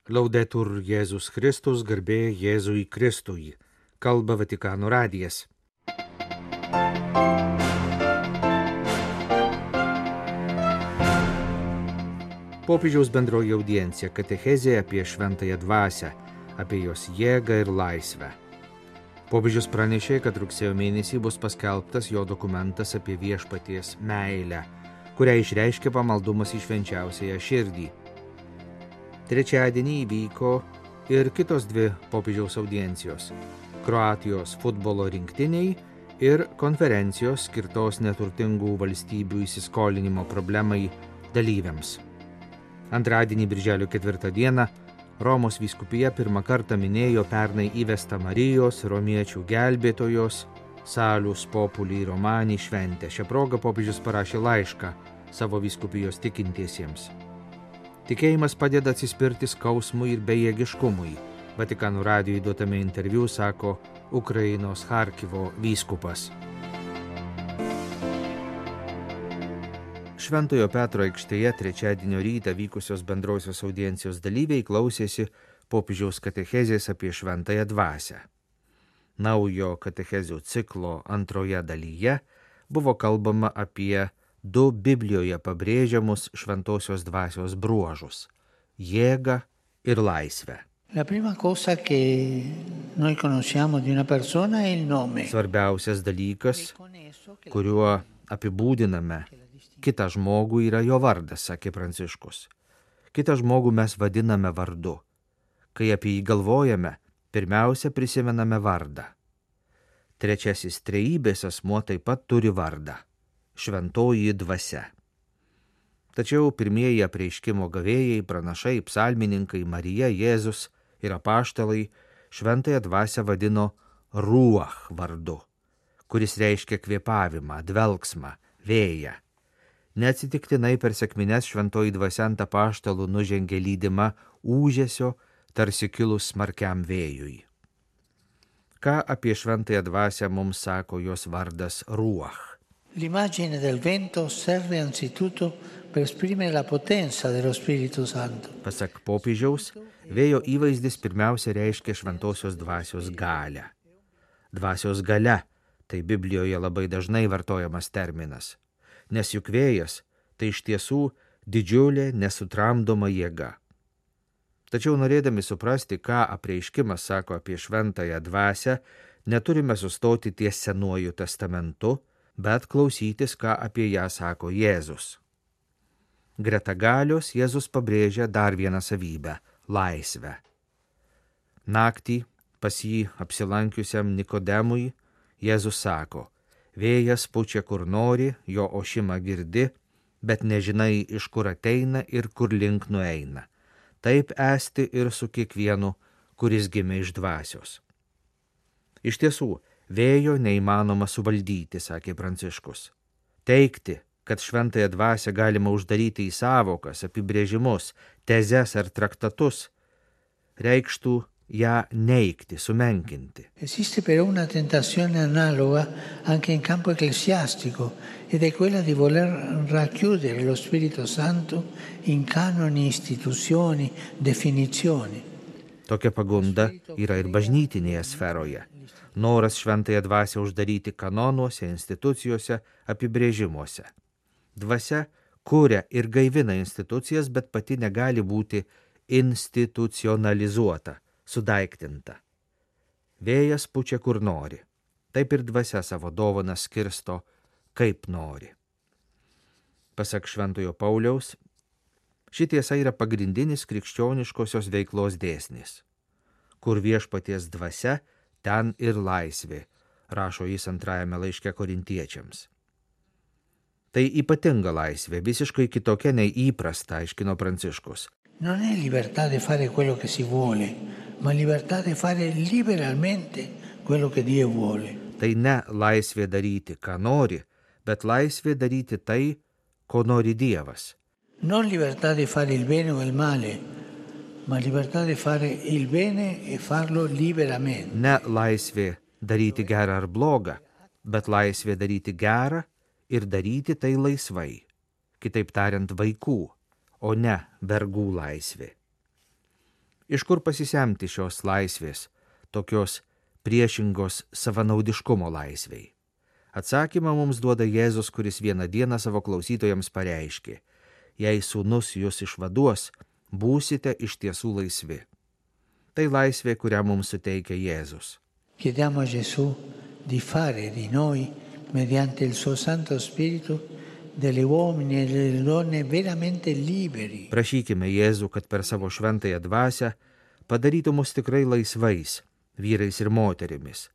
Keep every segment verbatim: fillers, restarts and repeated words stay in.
Laudetur Jėzus Kristus, garbė Jėzui Kristui. Kalba Vatikano radijas. Popiežiaus bendroji audiencija katechezė apie šventąją dvasią, apie jos jėgą ir laisvę. Popiežius pranešė, kad rugsėjo mėnesį bus paskelbtas jo dokumentas apie viešpaties meilę, kurią išreiškė pamaldumas į švenčiausiąją širdį. Trečiadienį įvyko ir kitos dvi popiežiaus audiencijos – Kroatijos futbolo rinktiniai ir konferencijos skirtos neturtingų valstybių įsiskolinimo problemai dalyviams. Antradienį, birželio ketvirtą dieną, Romos vyskupija pirmą kartą minėjo pernai įvestą Marijos, romiečių gelbėtojos, Salus Populi Romani šventę. Šią progą popiežius parašė laišką savo vyskupijos tikintiesiems. Tikėjimas padeda atsispirti skausmui ir bejėgiškumui, Vatikano radijui duotame interviu sako Ukrainos Charkivo vyskupas. Šventojo Petro aikštėje trečiadienio rytą vykusios bendrosios audiencijos dalyviai klausėsi popiežiaus katechezės apie šventąją dvasią. Naujo katechezių ciklo antroje dalyje buvo kalbama apie du Biblijoje pabrėžiamus šventosios dvasios bruožus – jėgą ir laisvę. La prima cosa che noi conosciamo di una persona è il nome. Svarbiausias dalykas, kuriuo apibūdiname kitą žmogų, yra jo vardas, sakė Pranciškus. Kitą žmogų mes vadiname vardu. Kai apie jį galvojame, pirmiausia prisimename vardą. Trečiasis trejybės asmuo taip pat turi vardą – šventoji dvasia. Tačiau pirmieji apreiškimo gavėjai, pranašai, psalmininkai, Marija, Jėzus ir apaštalai šventąją dvasią vadino Ruach vardu, kuris reiškia kvėpavimą, dvelksmą, vėją. Neatsitiktinai per sekmines šventoji dvasia ant apaštalų nužengė lydima ūžesio, tarsi kilus smarkiam vėjui. Ką apie šventąją dvasią mums sako jos vardas Ruach? L'immagine del vento serve anzitutto per esprimere la potenza dello Spirito Santo. Pasak popiežiaus, vėjo įvaizdis pirmiausia reiškia šventosios dvasios galią. Dvasios galia – tai Biblijoje labai dažnai vartojamas terminas, nes juk vėjas – tai iš tiesų didžiulė nesutramdoma jėga. Tačiau norėdami suprasti, ką apreiškimas sako apie šventąją dvasią, neturime sustoti ties Senuoju testamentu, bet klausytis, ką apie ją sako Jėzus. Greta galios Jėzus pabrėžia dar vieną savybę – laisvę. Naktį pas jį apsilankiusiam Nikodemui Jėzus sako, vėjas pučia kur nori, jo ošimą girdi, bet nežinai, iš kur ateina ir kur link nueina. Taip esti ir su kiekvienu, kuris gimė iš dvasios. Iš tiesų, vėjo neįmanoma suvaldyti, sakė Pranciškus. Teigti, kad šventąją dvasią galima uždaryti į sąvokas, apibrėžimus, tezes ar traktatus, reikštų ją neigti, sumenkinti. Esiste però una tentazione analoga anche in campo ecclesiastico ed è quella di voler racchiudere lo Spirito Santo in canoni, istituzioni, definizioni. Tokia pagunda yra ir bažnytinėje sferoje. Noras šventąją dvasią uždaryti kanonuose, institucijose, apibrėžimuose. Dvasia kuria ir gaivina institucijas, bet pati negali būti institucionalizuota, sudaiktinta. Vėjas pučia kur nori, taip ir dvasia savo dovaną skirsto kaip nori. Pasak Šventojo Pauliaus, ši tiesa yra pagrindinis krikščioniškosios veiklos dėsnis. Kur viešpaties dvasia, ten ir laisvė, rašo jis antrajame laiške korintiečiams. Tai ypatinga laisvė, visiškai kitokia nei įprasta, aiškino Pranciškus. Non è libertà di fare quello che si vuole, ma libertà di fare liberalmente quello che Dio vuole. Tai ne laisvė daryti, ką nori, bet laisvė daryti tai, ko nori Dievas. Non libertà di fare il bene o il male, ma libertà di fare il bene e farlo liberamente. Ne laisvė daryti gerą ar blogą, bet laisvė daryti gerą ir daryti tai laisvai. Kitaip tariant, vaikų, o ne vergų laisvė. Iš kur pasisemti šios laisvės, tokios priešingos savanaudiškumo laisvei? Atsakymą mums duoda Jėzus, kuris vieną dieną savo klausytojams pareiškė: jei sūnus jūs išvaduos, būsite iš tiesų laisvi. Tai laisvė, kurią mums suteikia Jėzus. Chiediamo a Gesù di fare di noi, mediante il suo Santo Spirito, degli uomini e delle donne veramente liberi. Prašykime Jėzų, kad per savo šventąją dvasią padarytų mus tikrai laisvais, vyrais ir moterimis,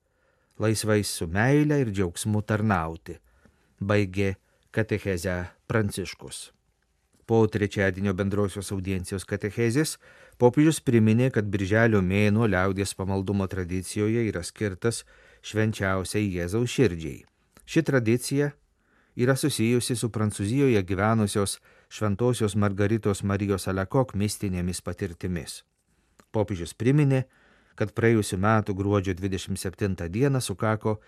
laisvais su meile ir džiaugsmu tarnauti, baigė katechezę Pranciškus. Po trečiadienio bendrosios audiencijos katechezės popiežius priminė, kad birželio mėnuo liaudies pamaldumo tradicijoje yra skirtas švenčiausiai Jėzaus širdžiai. Ši tradicija yra susijusi su Prancūzijoje gyvenusios šventosios Margaritos Marijos Alekok mistinėmis patirtimis. Popiežius priminė, kad praėjusiu metu gruodžio dvidešimt septintą dieną sukako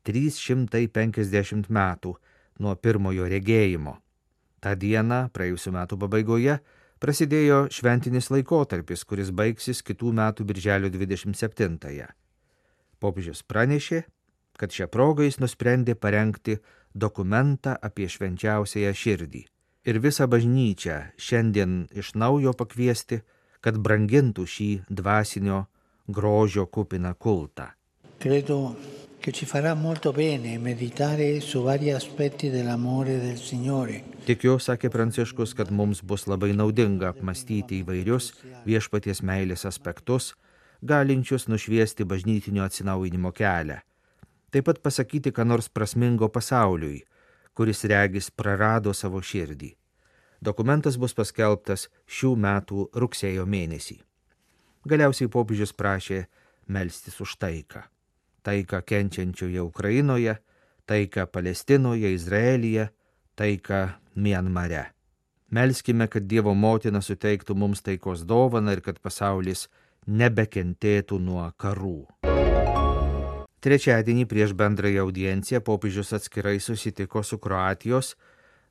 trys šimtai penkiasdešimt metų nuo pirmojo regėjimo. Ta diena, praėjusiu metu pabaigoje, prasidėjo šventinis laikotarpis, kuris baigsis kitų metų birželio dvidešimt septintąją. Popiežius pranešė, kad šią progą jis nusprendė parengti dokumentą apie švenčiausiąją širdį ir visą bažnyčią šiandien iš naujo pakviesti, kad brangintų šį dvasinio grožio kupiną kultą. Credo che ci farà molto bene meditare su vari aspetti dell'amore del Signore. Tikiu, sakė Pranciškus, kad mums bus labai naudinga apmastyti įvairius viešpaties meilės aspektus, galinčius nušviesti bažnytinio atsinaujinimo kelią. Taip pat pasakyti, ką nors prasmingo pasauliui, kuris regis prarado savo širdį. Dokumentas bus paskelbtas šių metų rugsėjo mėnesį. Galiausiai popiežius prašė melstis už taiką. Taiką kenčiančioje Ukrainoje, taiką Palestinoje, Izraelyje, taiką Mianmare. Melskime, kad Dievo motina suteiktų mums taikos dovaną ir kad pasaulis nebekentėtų nuo karų. Trečiadienį prieš bendrąją audienciją popiežius atskirai susitiko su Kroatijos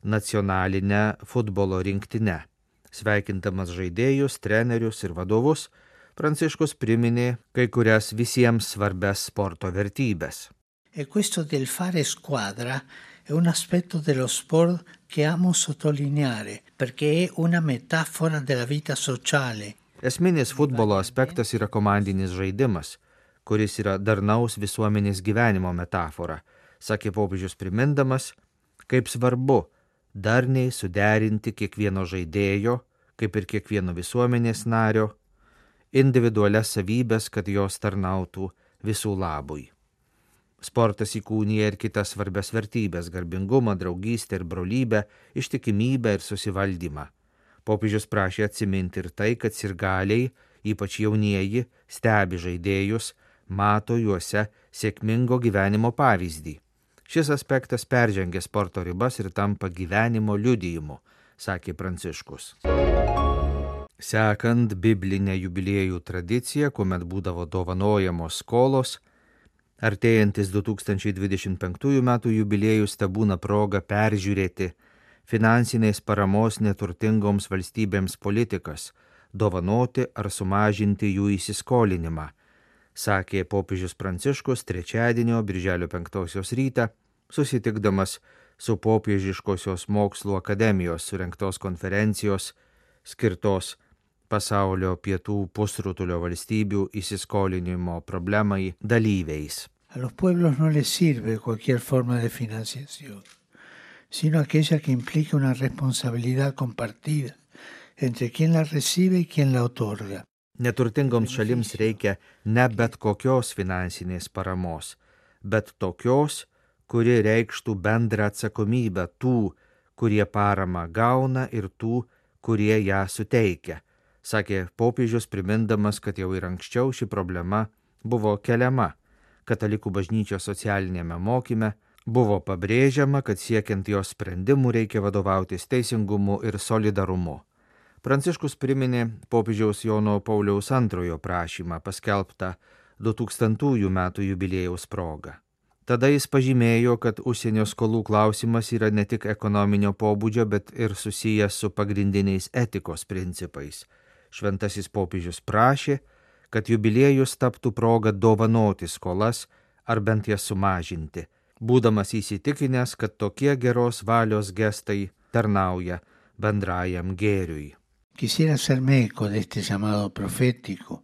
nacionalinė futbolo rinktine. Sveikindamas žaidėjus, trenerius ir vadovus, Pranciškus priminė kai kurias visiems svarbias sporto vertybės. E questo del fare squadra è un aspetto dello sport che amo sottolineare, perché è una metafora della vita sociale. Esminis futbolo aspektas yra komandinis žaidimas, kuris yra darnaus visuomenės gyvenimo metafora, sakė popiežius primindamas, kaip svarbu darniai suderinti kiekvieno žaidėjo, kaip ir kiekvieno visuomenės nario, individualias savybės, kad jos tarnautų visų labui. Sportas įkūnija ir kitas svarbias vertybės – garbingumą, draugystę ir brolybę, ištikimybę ir susivaldymą. Popiežius prašė atsiminti ir tai, kad sirgaliai, ypač jaunieji, stebi žaidėjus, mato juose sėkmingo gyvenimo pavyzdį. Šis aspektas peržengia sporto ribas ir tampa gyvenimo liudijimu, sakė Pranciškus. Sekant biblinę jubiliejų tradiciją, kuomet būdavo dovanojamos skolos, artėjantis du tūkstančiai dvidešimt penktųjų metų jubiliejus tebūna proga peržiūrėti finansinės paramos neturtingoms valstybėms politikas, dovanoti ar sumažinti jų įsiskolinimą, sakė popiežius Pranciškus trečiadienio birželio penktosios rytą, susitikdamas su popiežiškosios mokslų akademijos surengtos konferencijos skirtos pasaulio pietų pusrutulio valstybių įsiskolinimo problemai dalyviais. A los pueblos no les sirve cualquier forma de financiación, sino aquella que implica una responsabilidad compartida entre quien la recibe y quien la otorga. Neturtingoms šalims reikia ne bet kokios finansinės paramos, bet tokios, kuri reikštų bendrą atsakomybę tų, kurie paramą gauna ir tų, kurie ją suteikia, sakė popiežius primindamas, kad jau ir anksčiau ši problema buvo keliama. Katalikų bažnyčios socialinėme mokyme buvo pabrėžiama, kad siekiant jos sprendimų reikia vadovautis teisingumu ir solidarumu. Pranciškus priminė popiežiaus Jono Pauliaus antrojo prašymą paskelbtą du tūkstantųjų metų jubiliejaus proga. Tada jis pažymėjo, kad užsienio skolų klausimas yra ne tik ekonominio pobūdžio, bet ir susijęs su pagrindiniais etikos principais. šventasis popiežius prašė, kad jubiliejus taptų proga dovanoti skolas ar bent jas sumažinti, būdamas įsitikinęs, kad tokie geros valios gestai tarnauja bendrajam gėriui. Quisiera hacerme eco de este llamado profético,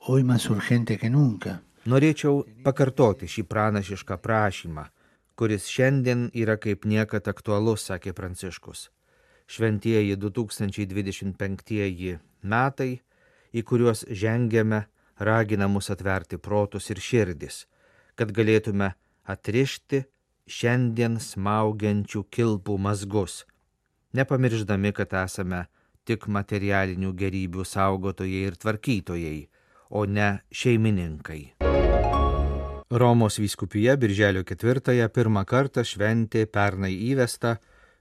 hoy más urgente que nunca. Norėčiau pakartoti šį pranašišką prašymą, kuris šiandien yra kaip niekad aktualus, sakė Pranciškus. Šventieji du tūkstančiai dvidešimt penktieji metai, į kuriuos žengiame, ragina mus atverti protus ir širdis, kad galėtume atrišti šiandien smaugiančių kilpų mazgus, nepamirždami, kad esame tik materialinių gerybių saugotojai ir tvarkytojai, o ne šeimininkai. Romos vyskupija birželio ketvirtąją pirmą kartą šventė pernai įvestą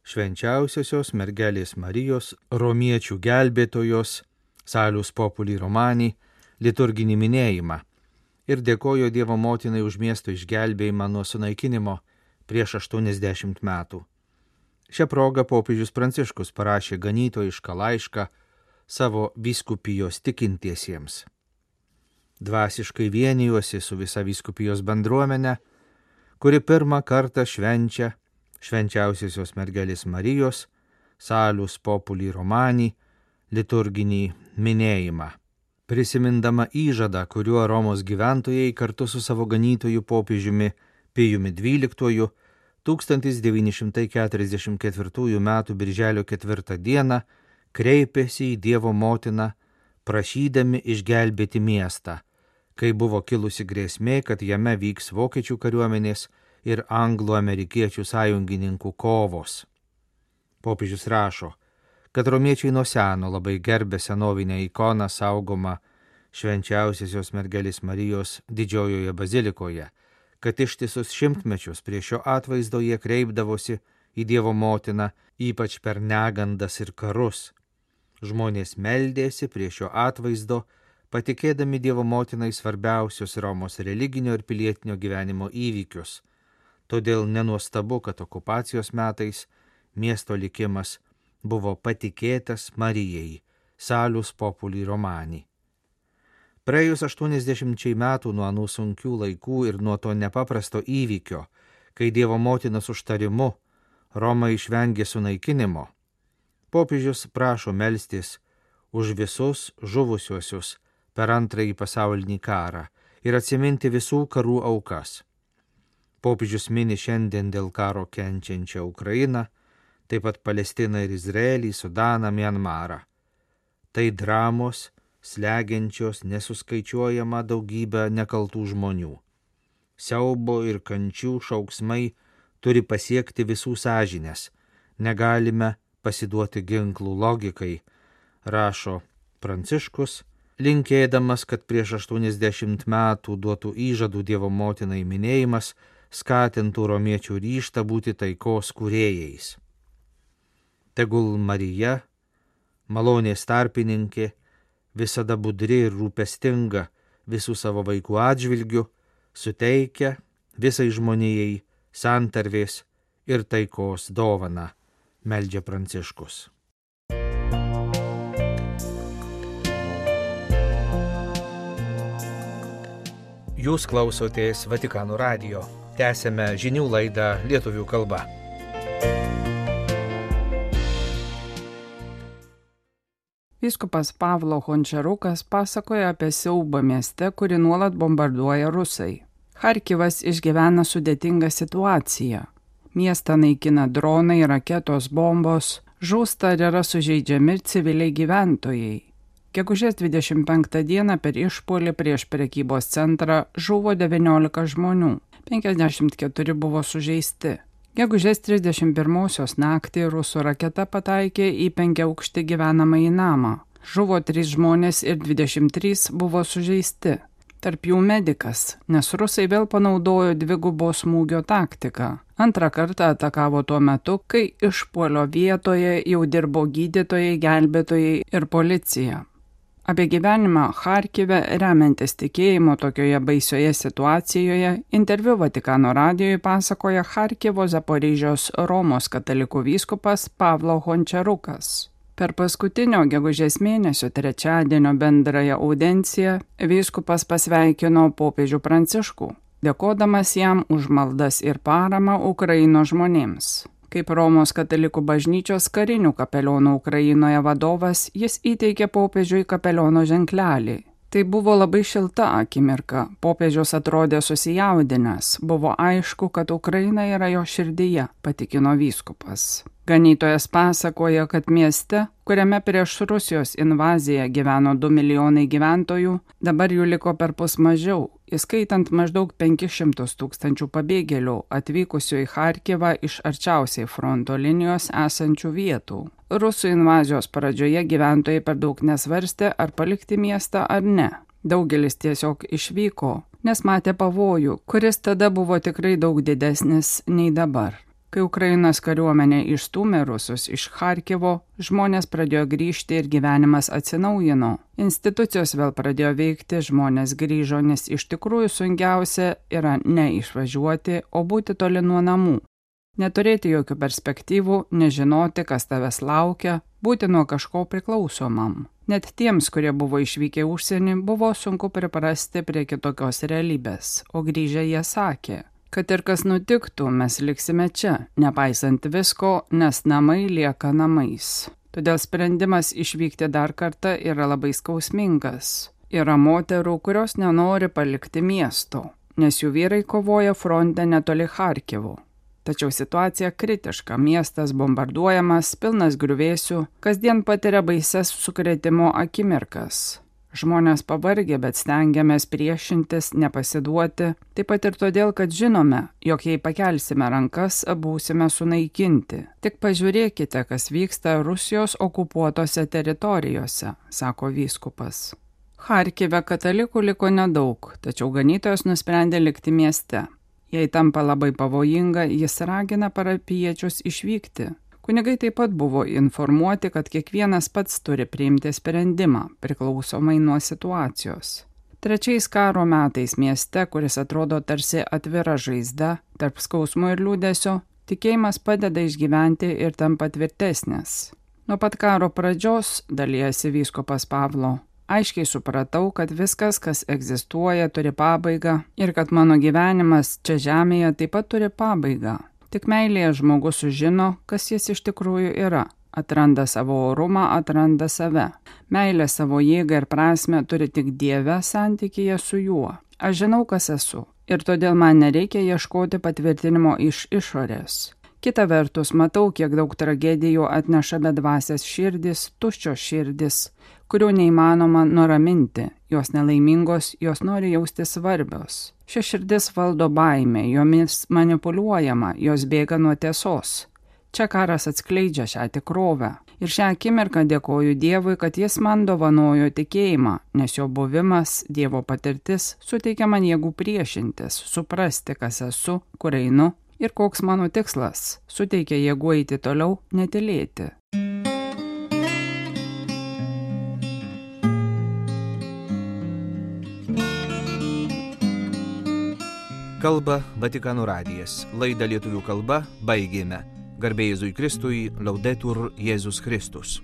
švenčiausiosios mergelės Marijos romiečių gelbėtojos Salus Populi Romani liturginį minėjimą ir dėkojo Dievo motinai už miesto išgelbėjimą nuo sunaikinimo prieš aštuoniasdešimt metų. Šią progą popiežius Pranciškus parašė ganytojišką laišką savo vyskupijos tikintiesiems. Dvasiškai vienijuosi su visa vyskupijos bendruomenė, kuri pirmą kartą švenčia švenčiausiosios mergelės Marijos Salus Populi Romani liturginį minėjimą, prisimindama įžadą, kuriuo Romos gyventojai kartu su savo ganytoju popiežiumi Pijumi dvyliktuoju tūkstantis devyni šimtai keturiasdešimt ketvirtųjų metų birželio ketvirtą dieną kreipėsi į Dievo motiną, prašydami išgelbėti miestą, kai buvo kilusi grėsmė, kad jame vyks vokiečių kariuomenės ir anglo-amerikiečių sąjungininkų kovos. Popiežius rašo, kad romiečiai nuo seno labai gerbė senovinę ikoną saugomą švenčiausiosios mergelės Marijos didžiojoje bazilikoje, kad ištisus šimtmečius prie šio atvaizdo jie kreipdavosi į Dievo motiną, ypač per negandas ir karus. Žmonės meldėsi prie šio atvaizdo, patikėdami Dievo motinai svarbiausius Romos religinio ir pilietinio gyvenimo įvykius. Todėl nenuostabu, kad okupacijos metais miesto likimas buvo patikėtas Marijai, Salus Populi Romani. Praėjus aštuoniasdešimčiai metų nuo anų sunkių laikų ir nuo to nepaprasto įvykio, kai Dievo motinos užtarimu Roma išvengė sunaikinimo, popiežius prašo melstis už visus žuvusiuosius per antrąjį pasaulinį karą ir atsiminti visų karų aukas. Popiežius mini šiandien dėl karo kenčiančią Ukrainą, taip pat Palestiną ir Izraelį, Sudaną, Mianmarą. Tai dramos, slegiančios nesuskaičiuojama daugybę nekaltų žmonių. Siaubo ir kančių šauksmai turi pasiekti visų sąžinės. Negalime pasiduoti ginklų logikai, rašo Pranciškus, linkėdamas, kad prieš aštuoniasdešimt metų duotų įžadų Dievo motinai minėjimas skatintų romiečių ryžtą būti taikos kūrėjais. Tegul Marija, malonės tarpininkė, visada budri ir rūpestinga visų savo vaikų atžvilgių, suteikia visai žmonijai santarvės ir taikos dovaną, meldžia Pranciškus. Jūs klausotės Vatikano radijo. Tęsėme žinių laidą lietuvių kalba. Vyskupas Pavlo Hončarukas pasakoja apie siaubą mieste, kurį nuolat bombarduoja rusai. Charkivas išgyvena sudėtingą situaciją. Miestą naikina dronai, raketos, bombos, žūsta ir yra sužeidžiami civiliai gyventojai. Gegužės dvidešimt penktą dieną per išpuolį prieš prekybos centrą žuvo devyniolika žmonių, penkiasdešimt keturi buvo sužeisti. Gegužės trisdešimt pirmosios naktį rusų raketa pataikė į penkiaaukštį gyvenamąjį namą. Žuvo trys žmonės ir dvidešimt trys buvo sužeisti. Tarp jų medikas, nes rusai vėl panaudojo dvigubo smūgio taktiką. Antrą kartą atakavo tuo metu, kai išpuolio vietoje jau dirbo gydytojai, gelbėtojai ir policija. Apie gyvenimą Charkive, remiantis tikėjimo tokioje baisioje situacijoje, interviu Vatikano radijui pasakoja Charkivo Zaporižios Romos katalikų vyskupas Pavlo Hončarukas. Per paskutinio gegužės mėnesio trečiadienio bendrąją audienciją vyskupas pasveikino popiežių Pranciškų, dėkodamas jam už maldas ir paramą Ukrainos žmonėms. Kaip Romos katalikų bažnyčios karinių kapelionų Ukrainoje vadovas, jis įteikė popiežiui kapeliono ženklelį. Tai buvo labai šilta akimirka, popiežius atrodė susijaudinęs, buvo aišku, kad Ukraina yra jo širdyje, patikino vyskupas. Ganytojas pasakoja, kad mieste, kuriame prieš Rusijos invaziją gyveno du milijonai gyventojų, dabar jų liko perpus mažiau, įskaitant maždaug penkis šimtus tūkstančių pabėgėlių atvykusių į Charkivą iš arčiausiai fronto linijos esančių vietų. Rusų invazijos pradžioje gyventojai per daug nesvarstė, ar palikti miestą ar ne. Daugelis tiesiog išvyko, nes matė pavojų, kuris tada buvo tikrai daug didesnis nei dabar. Kai Ukrainos kariuomenė išstūmė rusus iš Charkivo, žmonės pradėjo grįžti ir gyvenimas atsinaujino. Institucijos vėl pradėjo veikti, žmonės grįžo, nes iš tikrųjų sunkiausia yra ne išvažiuoti, o būti toli nuo namų. Neturėti jokių perspektyvų, nežinoti, kas tavęs laukia, būti nuo kažko priklausomam. Net tiems, kurie buvo išvykę užsienį, buvo sunku priprasti prie kitokios realybės, o grįžę jie sakė, kad ir kas nutiktų, mes liksime čia, nepaisant visko, nes namai lieka namais. Todėl sprendimas išvykti dar kartą yra labai skausmingas. Yra moterų, kurios nenori palikti miesto, nes jų vyrai kovoja fronte netoli Charkivo. Tačiau situacija kritiška, miestas bombarduojamas, pilnas griuvėsių, kasdien patiria baises sukrėtimo akimirkas. Žmonės pavargę, bet stengiamės priešintis, nepasiduoti, taip pat ir todėl, kad žinome, jog jei pakelsime rankas, būsime sunaikinti. Tik pažiūrėkite, kas vyksta Rusijos okupuotose teritorijose, sako vyskupas. Charkive katalikų liko nedaug, tačiau ganytojas nusprendė likti mieste. Jei tampa labai pavojinga, jis ragina parapijiečius išvykti. Kunigai taip pat buvo informuoti, kad kiekvienas pats turi priimti sprendimą, priklausomai nuo situacijos. Trečiais karo metais mieste, kuris atrodo tarsi atvira žaizda, tarp skausmo ir liūdesio, tikėjimas padeda išgyventi ir tampa tvirtesnis. Nuo pat karo pradžios, dalijasi vyskupas Pavlo, aiškiai supratau, kad viskas, kas egzistuoja, turi pabaigą ir kad mano gyvenimas čia žemėje taip pat turi pabaigą. Tik meilėje žmogus sužino, kas jis iš tikrųjų yra. Atranda savo orumą, atranda save. Meilė savo jėgą ir prasmę turi tik Dieve santykyje su juo. Aš žinau, kas esu. Ir todėl man nereikia ieškoti patvirtinimo iš išorės. Kita vertus, matau, kiek daug tragedijų atneša bedvasės širdis, tuščios širdis, kurių neįmanoma nuraminti. Jos nelaimingos, jos nori jausti svarbios. Šia širdis valdo baimė, jomis manipuliuojama, jos bėga nuo tiesos. Čia karas atskleidžia šią tikrovę. Ir šią akimirką dėkoju Dievui, kad jis man dovanojo tikėjimą, nes jo buvimas, Dievo patirtis suteikia man jėgų priešintis, suprasti, kas esu, kur einu ir koks mano tikslas, suteikia jėgų eiti toliau, netylėti. Kalba Vatikano radijas. Laidą lietuvių kalba baigėme. Garbė Jėzui Kristui, Laudetur Jėzus Kristus.